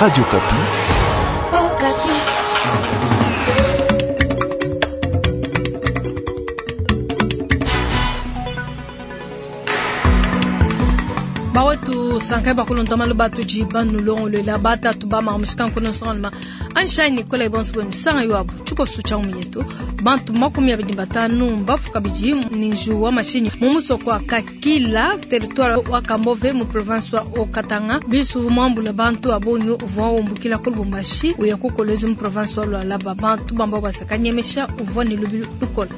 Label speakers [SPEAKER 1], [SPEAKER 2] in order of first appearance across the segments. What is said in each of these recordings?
[SPEAKER 1] Radio Okapi.
[SPEAKER 2] Bawetu sankai bakulonda malu batudi banulongolola batatu bamamushikankono nsongaluma anshai nikola ibonso bwenu sanga yuabu tshikoso tshia yetu bantu 25 mbafu kabidi ni nju wa mashinyi mu musoko wa Kakila territoire wa Kambove mu province wa Haut-Katanga bisu mwambula bantu abonyo uvua umbukila ku Lubumbashi uya ku Kolwezi mu province wa Lualaba bantu bamba basakanyemesha uvua ni lubilu lukola.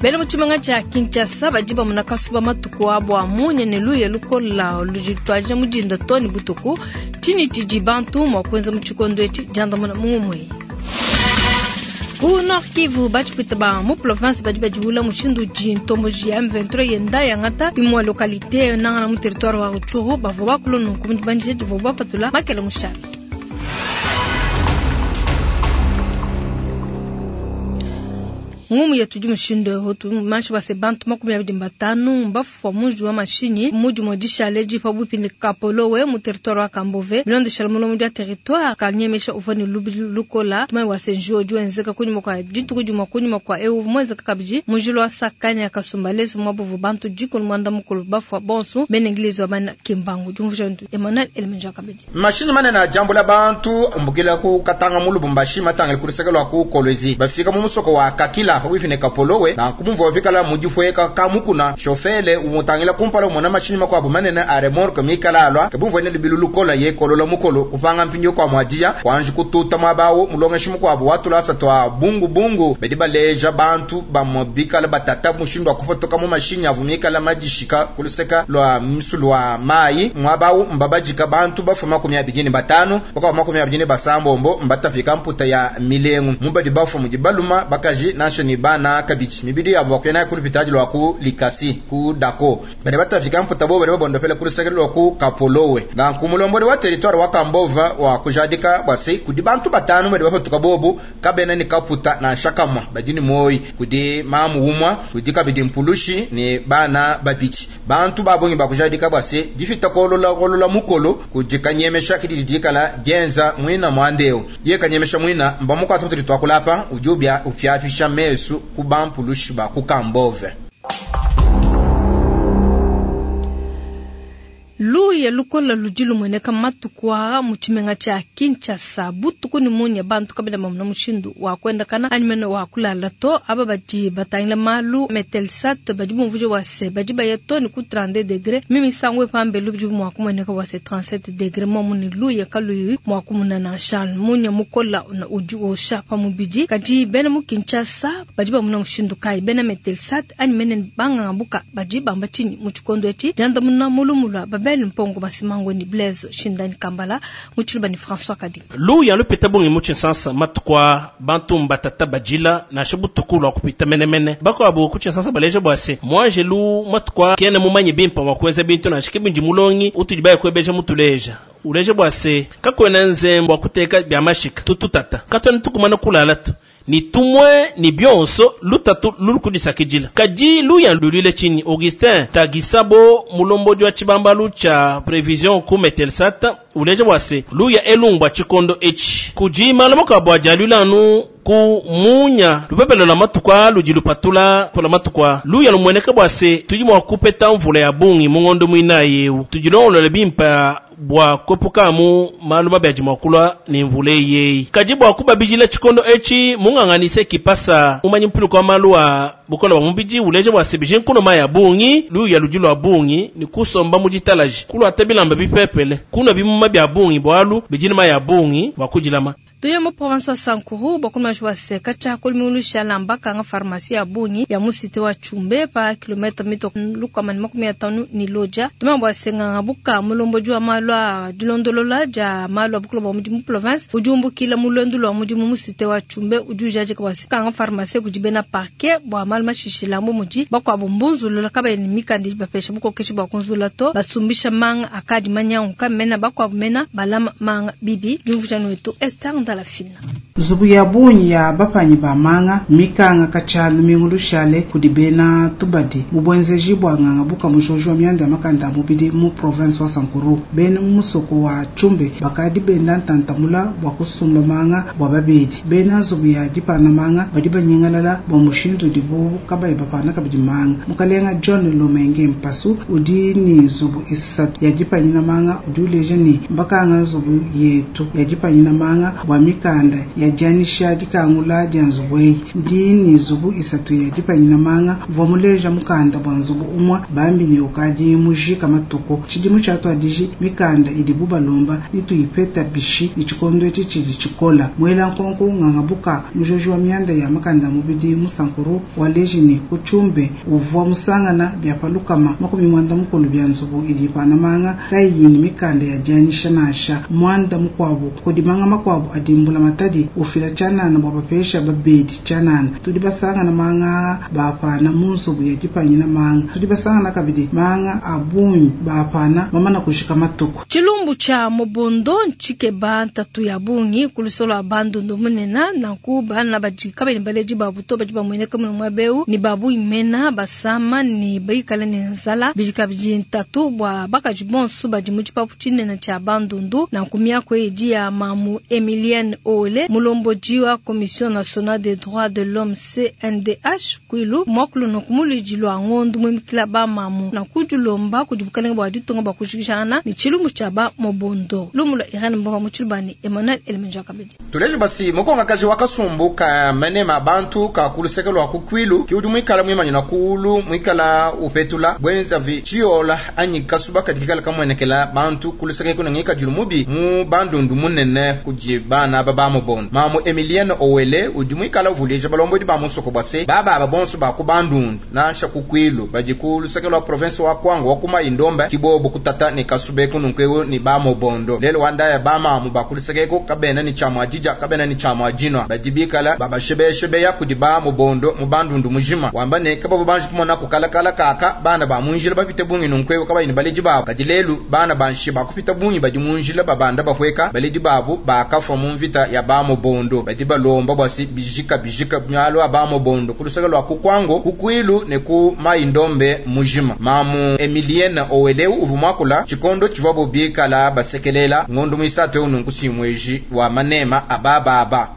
[SPEAKER 2] Bena mu tshimenga tshia Kinshasa badi bamona kasuba matuku abo a munya ne luya lukola ludi lutuadija mu dinda too ne butuku. Tshinyi tshidi bantu mua kuenza mu tshikondo etshi? Diandamuna mu ngumue. Ku Nord Kivu batshipwita ba mu province badi badiwula mushindu udi ntomboji ya M23 yenda yangata imue localité nangana mu territoire wa Rutshuru bavua bakula nunku mu dibandisha divua bapatula makele mushale. Ngumu yetu di mushindu eu tumanshi base bantu 25 mbafua munji wa mashinyi mudi dishale di pabuipi ne Kapolowe mu territoire wa Kambove bilondeshela mulomo dia territoire kanyemesha uvua ne lubilu lukola tumai wase njuo udi wenzeka kunyima kua dituku dimue kunyima kua eu muenzeka kabidi munjilu wa Sakanya Kasumbalesa mwabuvu bantu 18 bafua bonso bena Inglese wa bana Kimbangu diumvuja ndu Emmanuel Elemenja kabidi.
[SPEAKER 3] Mashinyi manene ajambula bantu mbukila ku Katanga mu Lubumbashi matangile ku luseke lwa ku Kolwezi bafika mu musoko wa Kakila pabuipi ne Kapolowe na kumumvua vikala mudifweka kamukuna shofele umutangila kumpala umona mashinyi makuabu manene a remorque mikala alwa kabumvua ne lubilu lukola ye kolola mukolo kupanga mpindio kwa mwadia kwanji kututa mwabawo mulongeshi mukuabu watulasa twa bungu bungu bedi baleja bantu bamobikala batata mushindu wa kufotoka mu mashinyi avu mikala madishika kuluseka lwa misulu wa mai mwabawo mbabajika bantu bafu 25 bakawa 27 mbatafika mputa ya milengu mubadi bafu mudibaluma bakaji nansha ni bana kabichi mibidi yabo bakuyana kulupitaji lwa ku likasi ku dako bane batafika mputa bo bane babondopela kuluseke lwa ku Kapolowe na kumulomboli wa territoire wa Kambova wa kujadika bwase kudi bantu batanu bane bafatuka bobu kabena ni kaputa na shakamwa badini moyi kudi mamu umwa kudi kabidi mpulushi ni bana babichi bantu babongi bakujadika bwase difita kolola kolola mukolo kudi kanyemesha kididikala dienza mwina mwandeo ye kanyemesha mwina mbamuka atutu twakulapa ujubya ufyafisha mesu kubampulushi ba kukambove.
[SPEAKER 2] Luya lukola ludi lumweneka matuku aa mu tshimenga tshia Kinshasa butuku ni munya bantu kabila mamuna mushindu wa kuendakana anyi mene wa kulala to aba badi batangila malu metelsat badi bumvuja wa se badi baya to ni ku 32 degré mimisango epambe ludi mua kumweneka wa se 37 degré momu ni luya kaluyi mua kumuna na Charles munya mukola udi osha pa mubidi kadi bena mu Kinshasa badi bamuna mushindu kai bena metelsat anyi mene banganga buka badi bamba tshinyi mu tshikondo etshi diandamuna mulumulwa babel Mpongo Masimango ni Blaise Shindani Kambala muchiluba ni François Kadi.
[SPEAKER 4] Luya lupita bungi mu Tshinsansa matukwa bantu mbatata bajila na shibutuku lwa kupita menemene bakwabo ku Tshinsansa baleja bwase mwangelu matukwa kene mumanyi bimpa wa kuenza bintu na shikibindi mulongi utudi baye kwebeja mutuleja uleje bwase kakwena nzembo kuteka bya mashika tututata katwana tukumana kulala tu ni tumwe ni bionso lutatu lulukudisakijila kadi luya lulile chini Augustin Tagisabo mulomboji wa chibambalu cha prevision ku Metelsat uleje bwase luya elumbwa chikondo echi kujima lamoka bwa jalulanu ku munya lupepelo la matukwa ludi lupatula pola matukwa luya lumweneka bwase tudi mwa kupeta mvula ya bungi mungondo mwina yeu tudilongolole bimpa bwa kwepukamu malu mabi adi mwakulwa ni mvula yeyi kadi bwa kubabijila tshikondo etshi munganganise kipasa umanyi mpuluka wa malu a bukola bwa mubidi uleje bwa sebije nkuno maya bungi luya ludi lwa bungi ni kusomba muditalaji kulwa ata bilamba bipepele kuna bimuma bya bungi bwalu bidini maya bungi bwa kudilama.
[SPEAKER 2] Tuye mu province wa Sankuru bakuma jwa se kacha kulmiulusha lamba kanga pharmacie ya bungi ya musite wa Chumbe pa kilomita mito lukama ni 50 ni loja tuma bwa senga buka mulombo jwa malwa dilondolola ja malwa bukulo bwa mudi mu province ujumbukila mulondo lwa mudi mu musite wa Chumbe ujujaje kwa kanga pharmacie kujibena parquet bwa malma shishila mu mudi bakwa bumbunzulula kaba ni mikandi bapesha bukokeshi bwa kunzula to basumbisha manga akadi manyangu kamena bakwa mena balama manga bibi jumvujano wetu Esther Ndala. Fina.
[SPEAKER 1] Nzubu ya bungi ya bapanyi ba manga mmikanga katshia lumingu lushale kudi bena tubadi mu buenzeji bua nganga buka mujoji wa mianda ya makanda a mubidi mu province wa Sankuru. Bena mu musoko wa Tshumbe bakadi benda ntanta mula bua kusumba manga bua babedi. Bena nzubu ya dipana manga badi banyingalala bua mushindu udibu kabayi bapana kabidi manga. Mukalenga John Lomenge Mpasu udi ne nzubu isatu ya dipanyina manga udi uleja ne, mbakanga nzubu yetu ya dipanyina manga bua mikanda ya dianyisha dikangula dia nzubu eyi. Ndi ne nzubu isatu ya dipanyina manga, mvua muleja mukanda bua nzubu umue bambi ne ukadi mujika matuku. Tshidimu tshiatuadiji mikanda idibu balomba netuyipeta bishi ne tshikondo etshi tshidi tshikola. Muela nkonko nganga buka mujoji wa mianda ya makanda a mubidi mu Sankuru waleji ne ku Tshumbe uvua musangana bia pa 160 bia nzubu idi ipana manga kayiyi ne mikanda ya dianyisha nansha. Muanda mukuabu kudi manga makuabu adi mbulamatadi ufila tshianana bua bapesha babedi tshianana. Tudi basangana manga aa baapana mu nzubu ya dipanyina manga. Tudi basangana kabidi manga a bungi baapana mamana kujika matuku.
[SPEAKER 2] Tshilumbu tshia mobondo ntshikeba ntatu ya bungi ku luse lua Bandundu munene. Nanku bana badi kabayi ne baledi babu to badi bamueneka mune muaba eu ne ba bungi mena basama ne bikale ne nzala. Bidi kabidi ntatu bua bakaji bonso badi mu tshipapu tshinene tshia Bandundu. Nanku miaku eyi idi ya mamu Emilienne Owele, mulombodi wa Commission nationale des droits de l'homme CNDH Kwilu, muakulu nunku mu luidi lua ngondu muimikila ba mamu. Nanku dilomba kudi bukalenge bua ditunga bua kujikijangana ne tshilumbu tshia ba mobondo. Lumu lua Irene Mbomba mu Tshiluba ne Emmanuel Elemenja kabidi.
[SPEAKER 3] Tuleje basi mukongakaji wa kasumbu ka manema a bantu ka ku luseke lua ku Kwilu ki udi muikala muimanyina kuulu muikala upetula buenzavi tshiola anyi kasuba kadi kikala kamuenekela bantu ku luseke eku ne ngikadilu mubi mu Bandundu munene kudi bana aba ba mobondo. Mamu Emilienne Owele udi muikala uvuluija balombodi ba musoko bua se baba aba bonso ba ku Bandundu nansha ku Kwilu badi ku luseke lua province wa Kwango wa ku Mai-Ndombe ki bobu kutata ne kasuba eku nunku eu ne ba mobondo. Lelu wa ndaya ba mamu ba ku luseke eku kabena ne tshia mua didia kabena ne tshia mua dinua, badi bikala babashebeyashebeya kudi ba mobondo mu Bandundu mujima, wamba ne kabavua banji kumona kukalakala kaka bana ba mu njila bapite bungi nunku eu kabayi ne baledi babu. Kadi lelu bana ba nshi bakupita bungi badi mu njila babanda bapueka, baledi babu bakafua mu mvita ya ba mobondo. Badi balomba bua se bijika bijika malu a ba mobondo ku luseke lua ku Kwango, ku Kwilu ne ku Mai-Ndombe mujima. Mamu Emilienne Oweleu uvua muakula tshikondo tshivuabu bikala basekelela ngondo muisatu eu nunku si mueji wa manema a bababa.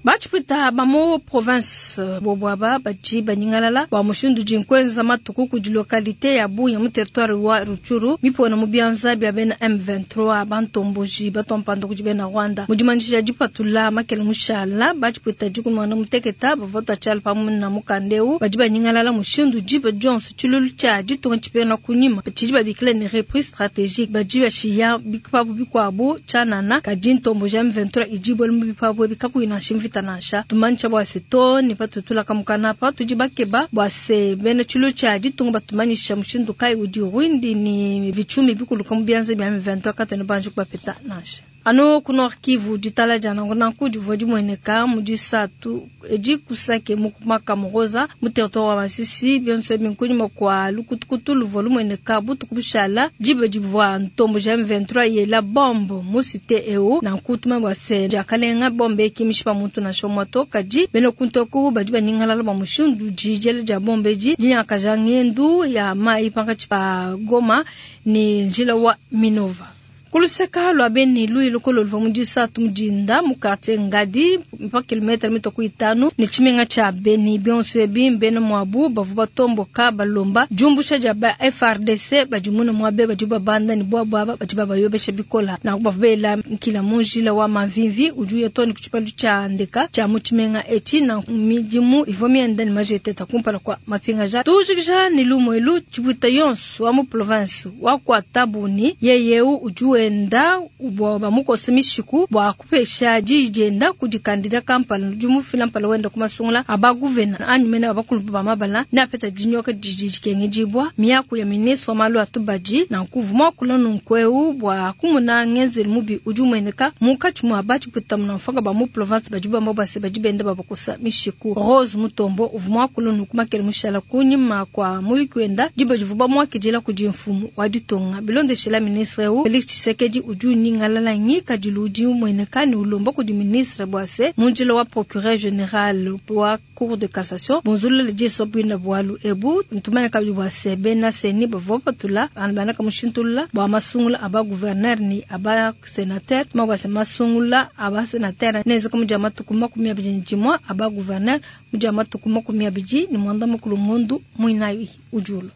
[SPEAKER 2] Batshipwita ba mu province bobu aba badi banyingalala bua mushindu udi nkuenza matuku kudi localite ya bungi mu territoire wa Rutshuru mipona mu bianza bia bena M23 bantomboji batua mpanda kudi bena Rwanda. Mu dimanyisha dipatula makele mushala, batshipwita dikumi muteketa bavua batua tshiala pamue na mukanda eu badi banyingalala mushindu diba dionso tshilulu tshia ditunga tshipingana kunyima tshidi babikila ne repris strategique badi bashiya bipapu bikuabu tshianana kadi ntomboji ya M23 idi ibuela mu bipapu ebi kakuyi nansha mvita nansha. Tumanyisha bua se too ne patutula kamukana apa tudi bakeba bua se bena tshilulu tshia ditunga batumanyisha mushindu kayi udi Rwindi ne Vitshumi bikuluka mu bianza bia M23 katuena banji kubapeta nansha. Anu ku Nord Kivu, ditala dia nanku nanku divua dimueneka mu disatu edi ku Sake mu Makamuroza mu territoire wa Masisi. Bionso ebi nkunyima kua lukutukutu luvua lumueneka butuku bushala diba divua ntomboji ya M23 yela bombe mu cité eu. Nanku tumanye bua se diakalenga bombe eki mishipa muntu nansha umue to, kadi bena kuntu eku badi banyingalala bua mushindu udi diela dia bombe edi dinyangakaja ngendu ya mayi pankatshi pa Goma ne njila wa Minova. Ku luseka lua Beni, luyi lukolo luvua mu disatu mu dinda mu quartier Ngadi pa kilometre mitue ku itanu ne tshimenga tshia Beni. Bionso ebi mbena muabu bavua batomboka balomba diumbusha dia ba FARDC badi mune muabe badi babanda ne buabu aba badi babayobesha bikola. Nanku bavua bela nkila mu njila wa Mamvimvi udi uya too ne ku tshipalu tshia ndeka tshia mu tshimenga etshi. Nanku midimu ivua mienda ne majeteta kumpala kua mapingaja. Tujikija ne lumu elu tshibuita yonso wa mu province wa kuatabu ne yeye eu udi wenda bua bamukose mishiku bua kupesha diyi dienda kudi kandida kampala udi mufila mpala wenda ku masungula a baguvena anyi mene bakulu ba mabala ne apeta dinyoka didi dikengedibua. Miaku ya ministre wa malu a tubadi nanku uvua muakula nunku eu bua kumona ngenzelu mubi udi umueneka munkatshi mua batshipwita munamfwanga ba mu province badi bamba bua se badi benda babakosa mishiku. Rose Mutombo uvua muakula nunku makele mushala kunyima kua muyuki wenda diba divua bamuakidila kudi mfumu wa ditunga. Bilondeshela ministre eu Felix Tshisekedi udi unyingalala ngikadilu udi umueneka ne ulomba kudi ministre bua se mu njila wa procureur general wa cour de cassation bunzulule diso buina bualu ebu. Ntumanya kabidi bua se bena CENI bavua bapatula banaka mushintulula bua masungula aba gouverneur ni aba senateur, tuma bua se masungula aba senateur nenzeka mu dia matuku 21, aba gouverneur mu dia matuku 29 ngondu muinayi ujulu.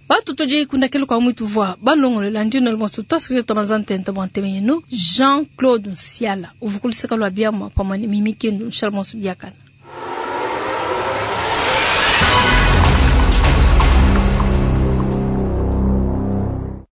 [SPEAKER 2] Batu tudi kundakelo kwa mwitu vwa balongolola ndino lumonso twasikize twamaza ntenta bwa nteme yenu Jean-Claude Nsiala uvukuliseka lwa biamwa pamwe ni mimi kendu nshala monso biakana.